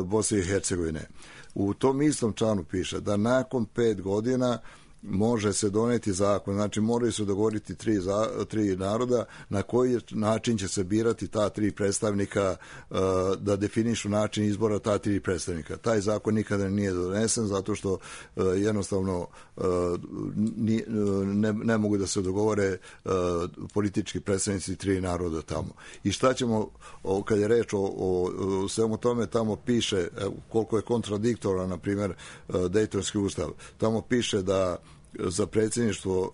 Bosne i Hercegovine. U tom istom članu piše da nakon pet godina može se doneti zakon, znači moraju se dogovoriti tri, za, tri naroda na koji način će se birati ta tri predstavnika, uh, da definišu način izbora ta tri predstavnika. Taj zakon nikada nije donesen zato što uh, jednostavno uh, ni, ne, ne mogu da se dogovore uh, politički predstavnici tri naroda tamo. I šta ćemo, o, kad je reč o, o, o svemu tome, tamo piše, koliko je kontradiktora, na primjer, uh, Dejtonski ustav, tamo piše da za predsjedništvo,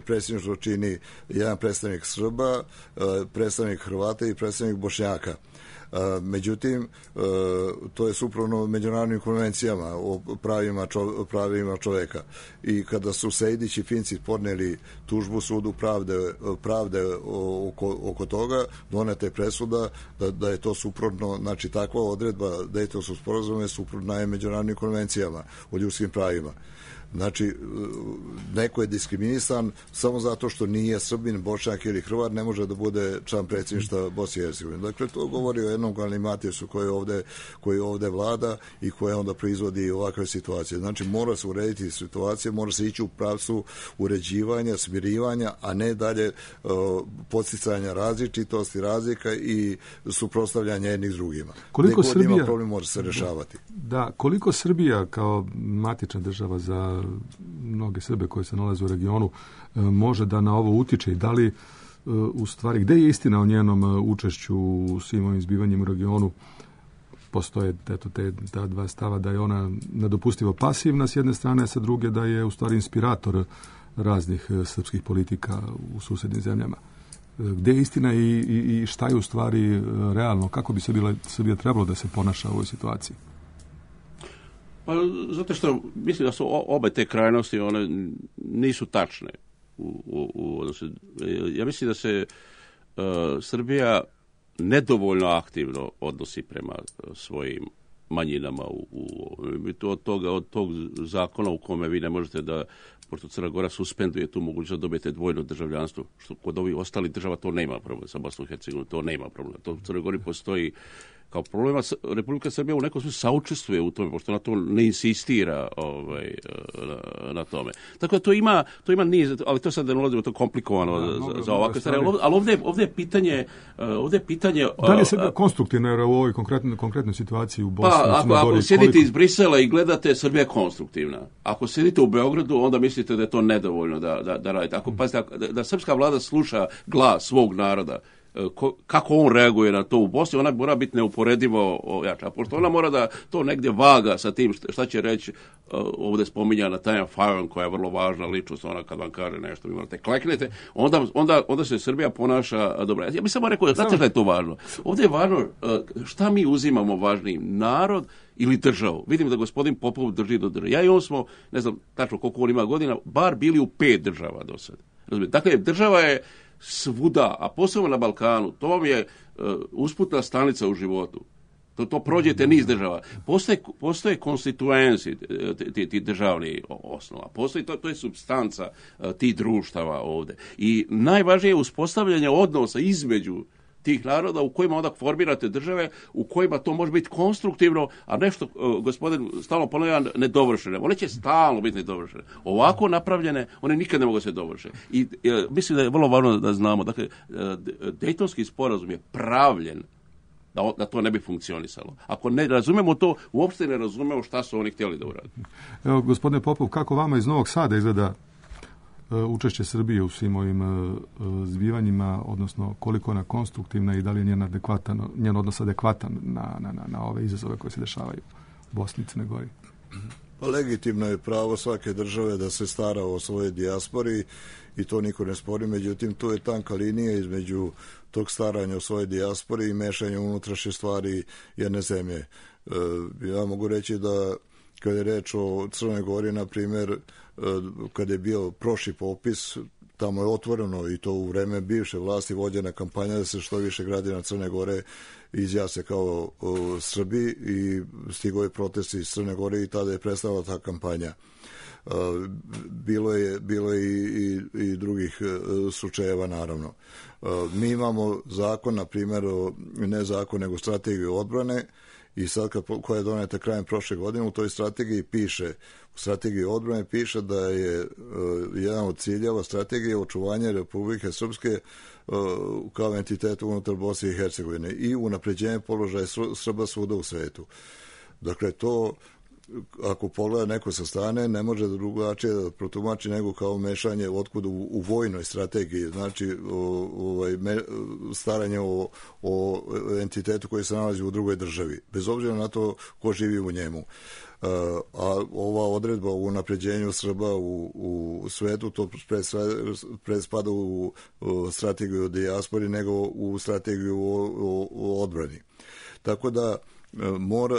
predsjedništvo čini jedan predstavnik Srba, predstavnik Hrvata i predstavnik Bošnjaka. Međutim, to je suprotno međunarodnim konvencijama o pravima, čo, pravima čoveka. I kada su Sejdić i Finci podneli tužbu sudu pravde, pravde oko, oko toga, doneta je presuda da, da je to suprotno, znači takva odredba Dejtonskog sporazuma je suprotna je međunarodnim konvencijama o ljudskim pravima. Znači, neko je diskriminisan samo zato što nije Srbin, Bošnjak ili Hrvat, ne može da bude član predsjedništva Bosne i Hercegovine. Dakle, to govori o jednom galimatijusu koji ovde, koji ovde vlada i koje onda proizvodi ovakve situacije. Znači, mora se urediti situacije, mora se ići u pravcu uređivanja, smirivanja, a ne dalje uh, podsticanja različitosti, razlika i suprotstavljanja jednih s drugima. Koliko Srbija ima problem, može se rešavati. Da, koliko Srbija kao matična država za mnoge Srbe koje se nalaze u regionu može da na ovo utiče i da li u stvari, gde je istina o njenom učešću u svim ovim zbivanjima u regionu? Postoje eto, te ta dva stava da je ona nedopustivo pasivna s jedne strane, a sa druge da je u stvari inspirator raznih srpskih politika u susednim zemljama. Gde je istina i, i, i šta je u stvari realno? Kako bi Srbija, Srbija trebalo da se ponaša u ovoj situaciji? Pa, zato što mislim da su obe te krajnosti, one nisu tačne. U, u, u, ja mislim da se uh, Srbija nedovoljno aktivno odnosi prema svojim manjinama. U, u, to od, toga, od tog zakona u kome vi ne možete da pošto Crna Gora suspenduje tu mogućnost da dobijete dvojno državljanstvo, što kod ovih ostalih država to nema problem, sa Bosnom i Hercegovinom to nema problem. To u Crnoj Gori postoji kao problema. Republika Srbija u nekom smislu saučestvuje u tome, pošto na to ne insistira ovaj, na, na tome. Tako da to ima, to ima niz, ali to sad ne ulazimo, to je komplikovano da, za, za ovakve stvari. Ali ovdje, ovdje je pitanje... Ovdje je pitanje... Da li je Srbija konstruktivna u ovoj konkretnoj, konkretnoj situaciji u Bosni? Pa, ako, ako sjedite iz Brisela i gledate, Srbija je konstruktivna. Ako sjedite u Beogradu, onda mislite da je to nedovoljno da, da, da radite. Ako pazite, da, da srpska vlada sluša glas svog naroda, Ko, kako on reaguje na to u Bosni, ona mora biti neuporedivo jača. Pošto ona mora da to negdje vaga sa tim šta će reći, uh, ovdje spominjana Tanja Fajon, koja je vrlo važna ličnost, ona kad vam kaže nešto, vi morate kleknete, onda, onda, onda se Srbija ponaša dobro. Ja bih samo rekao, znate šta je to važno? Ovdje je važno uh, šta mi uzimamo važnijim, narod ili državu. Vidim da gospodin Popov drži do države. Ja i on smo, ne znam tačno koliko on ima godina, bar bili u pet država do sad. Razumijete? Dakle, država je svuda, a posebno na Balkanu, to vam je uh, usputna stanica u životu. To, to prođete niz država. Postoje, postoje konstituenci ti, ti državni osnova. Postoji, to, to je supstanca uh, tih društava ovdje. I najvažnije je uspostavljanje odnosa između tih naroda u kojima onda formirate države, u kojima to može biti konstruktivno, a nešto, uh, gospodin stalno ponavlja, nedovršene. One će stalno biti nedovršene. Ovako napravljene, one nikad ne mogu se dovršiti. I uh, mislim da je vrlo važno da znamo, dakle, uh, Dejtonski sporazum je pravljen da, da to ne bi funkcionisalo. Ako ne razumemo to, uopšte ne razumemo šta su oni htjeli da urade. Evo, gospodine Popov, kako vama iz Novog Sada izgleda učešće Srbije u svim ovim uh, zbivanjima, odnosno koliko ona konstruktivna i da li je njen, adekvatan, njen odnos adekvatan na, na, na, na ove izazove koje se dešavaju u Bosni i Crnoj Gori? Pa legitimno je pravo svake države da se stara o svojoj dijaspori i to niko ne spori, međutim tu je tanka linija između tog staranja o svojoj dijaspori i mešanja unutrašnje stvari jedne zemlje. Uh, ja mogu reći da kada je reč o Crnoj Gori, na primjer, kada je bio prošli popis, tamo je otvoreno i to u vreme bivše vlasti vođena kampanja da se što više građana Crne Gore izjasne kao o, Srbi i stigao je protest iz Crne Gore i tada je prestala ta kampanja. A, bilo je, bilo je i, i, i drugih slučajeva, naravno. A, mi imamo zakon, na primjer, ne zakon, nego strategiju odbrane, i sad kad, koja je doneta krajem prošle godine, u toj strategiji piše, u strategiji odbrane piše da je uh, jedan od ciljeva strategije očuvanje Republike Srpske uh, kao entiteta unutar Bosne i Hercegovine i unapređenje položaja Srba svuda u svetu. Dakle, to ako pogleda neko sa strane, ne može drugačije da protumači nego kao mešanje otkud u, u vojnoj strategiji, znači o, ovaj, me, staranje o, o entitetu koji se nalazi u drugoj državi, bez obzira na to ko živi u njemu. A ova odredba u unapređenju Srba u, u svetu, to prespada u, u strategiju o dijaspori nego u strategiju o, o, o odbrani. Tako da mora,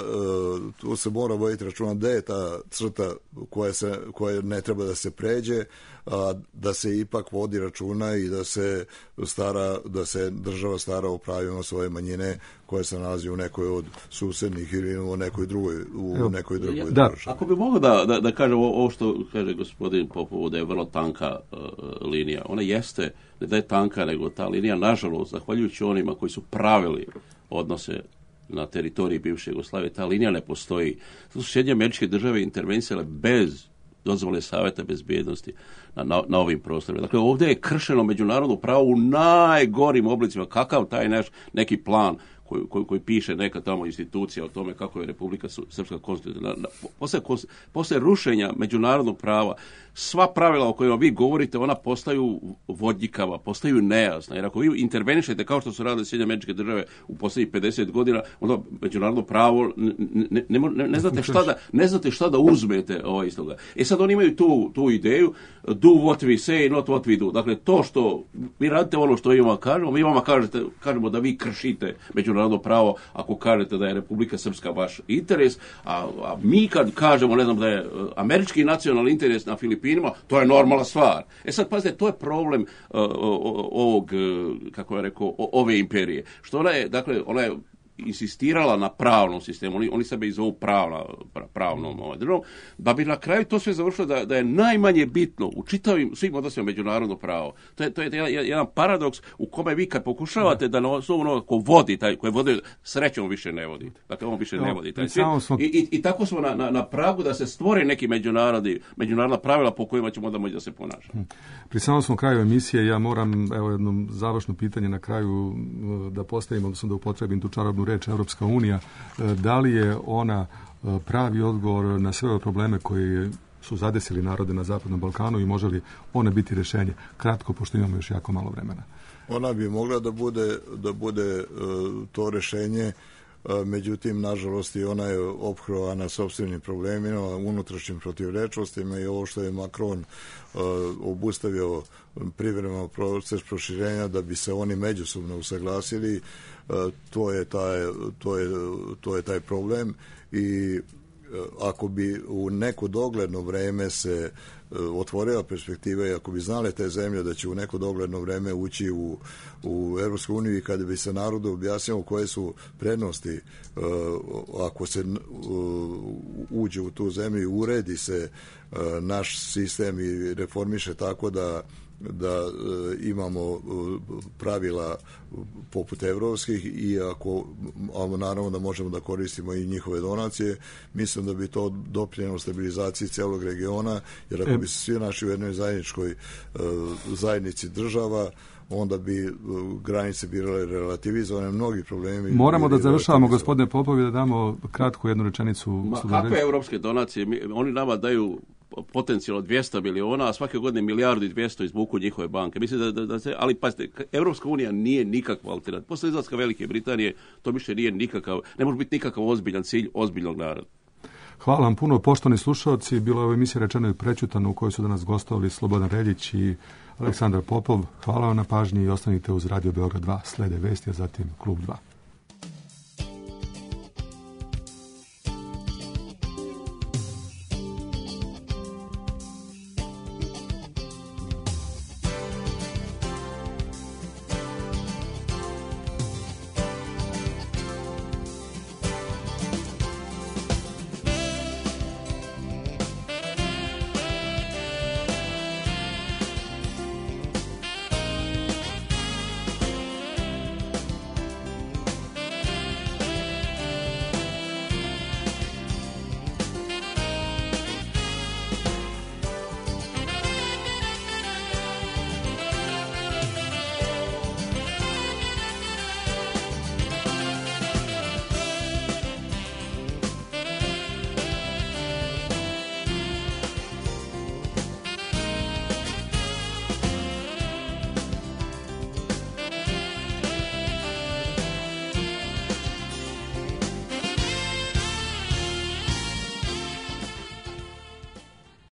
tu se mora voditi računa da je ta crta koja, se, koja ne treba da se pređe, a da se ipak vodi računa i da se stara, da se država stara o pravima svoje manjine koje se nalazi u nekoj od susednih ili u nekoj drugoj, u nekoj drugoj da. državi. Ako bi mogao da, da, da kažem ovo što kaže gospodin Popov, da je vrlo tanka uh, linija. Ona jeste, ne da je tanka, nego ta linija, nažalost, zahvaljujući onima koji su pravili odnose na teritoriji bivše Jugoslavije, ta linija ne postoji. To su Sjedinjene Američke Države intervencijale bez dozvole Saveta bezbjednosti na, na, na ovim prostorima. Dakle, ovdje je kršeno međunarodno pravo u najgorim oblicima. Kakav taj naš neki plan koji, koji, koji piše neka tamo institucija o tome kako je Republika Srpska konstitutivna. Posle, posle rušenja međunarodnog prava, sva pravila o kojima vi govorite, ona postaju vodljikava, postaju nejasna. Jer ako vi intervenišete kao što su radile Sjedinjene Američke Države u posljednjih pedeset godina, onda međunarodno pravo ne, ne, ne, ne, ne, znate, šta da, ne znate šta da uzmete ovaj iz toga. E sad oni imaju tu, tu ideju do what we say, not what we do. Dakle, to što vi radite ono što mi vama kažemo, mi vama kažete, kažemo da vi kršite međunarodno pravo ako kažete da je Republika Srpska vaš interes, a, a mi kad kažemo, ne znam, da je američki nacionalni interes na Filipinima, to je normalna stvar. E sad, pazite, to je problem uh, ovog, uh, kako je rekao, ove imperije. Što ona je, dakle, ona je insistirala na pravnom sistemu, oni, oni sebe i zovu pravna, pravnom ovaj, državom, da bi na kraju to sve završilo da, da je najmanje bitno u čitavim svim odnosima međunarodno pravo. To je, to je jedan, jedan paradoks u kome vi kad pokušavate da na osnovu onoga ko vodi, taj, koji vodi, srećom više ne vodi. Dakle, on više no, ne vodi taj svijet. Smo... I, i, I tako smo na, na, na pragu da se stvori neki međunarodni, međunarodna pravila po kojima ćemo da moći da se ponašamo. Pri samom smo kraju emisije, ja moram, evo jedno završno pitanje na kraju da postavim, odnosno da upotrebim tu čarobnu reč Europska unija. Da li je ona pravi odgovor na sve ove probleme koji su zadesili narode na Zapadnom Balkanu i može li ona biti rješenje? Kratko, pošto imamo još jako malo vremena. Ona bi mogla da bude, da bude to rješenje, međutim, nažalost, i ona je ophrovana sopstvenim problemima, unutrašnjim protivrečnostima i ovo što je Macron obustavio privremeno proces proširenja da bi se oni međusobno usaglasili, to je taj, to je, to je taj problem i ako bi u neko dogledno vreme se otvorila perspektiva i ako bi znale te zemlje da će u neko dogledno vreme ući u, u Europsku uniju i kada bi se narodu objasnilo koje su prednosti ako se uđe u tu zemlju i uredi se naš sistem i reformiše tako da da imamo pravila poput evropskih i ako, ali naravno da možemo da koristimo i njihove donacije, mislim da bi to doprinjelo stabilizaciji celog regiona, jer ako bi se svi naši u jednoj zajedničkoj zajednici država, onda bi granice bile relativizovane, mnogi problemi. Moramo da završavamo, gospodine Popovi, da damo kratku jednu rečenicu. Ma, kakve evropske donacije? Mi, oni nama daju potencijalno dvjesto miliona, a svake godine milijardu i dvjesto izvuku njihove banke. Mislim da, da, da se, ali pazite, Evropska unija nije nikakva alternativa. Posle izlaska Velike Britanije to više nije nikakav, ne može biti nikakav ozbiljan cilj ozbiljnog naroda. Hvala vam puno, poštovani slušalci. Bilo je ovo emisija Rečeno i prečutano u kojoj su danas gostovali Slobodan Reljić i Aleksandar Popov. Hvala vam na pažnji i ostanite uz Radio Beograd dva. Slede vesti, a zatim Klub dva.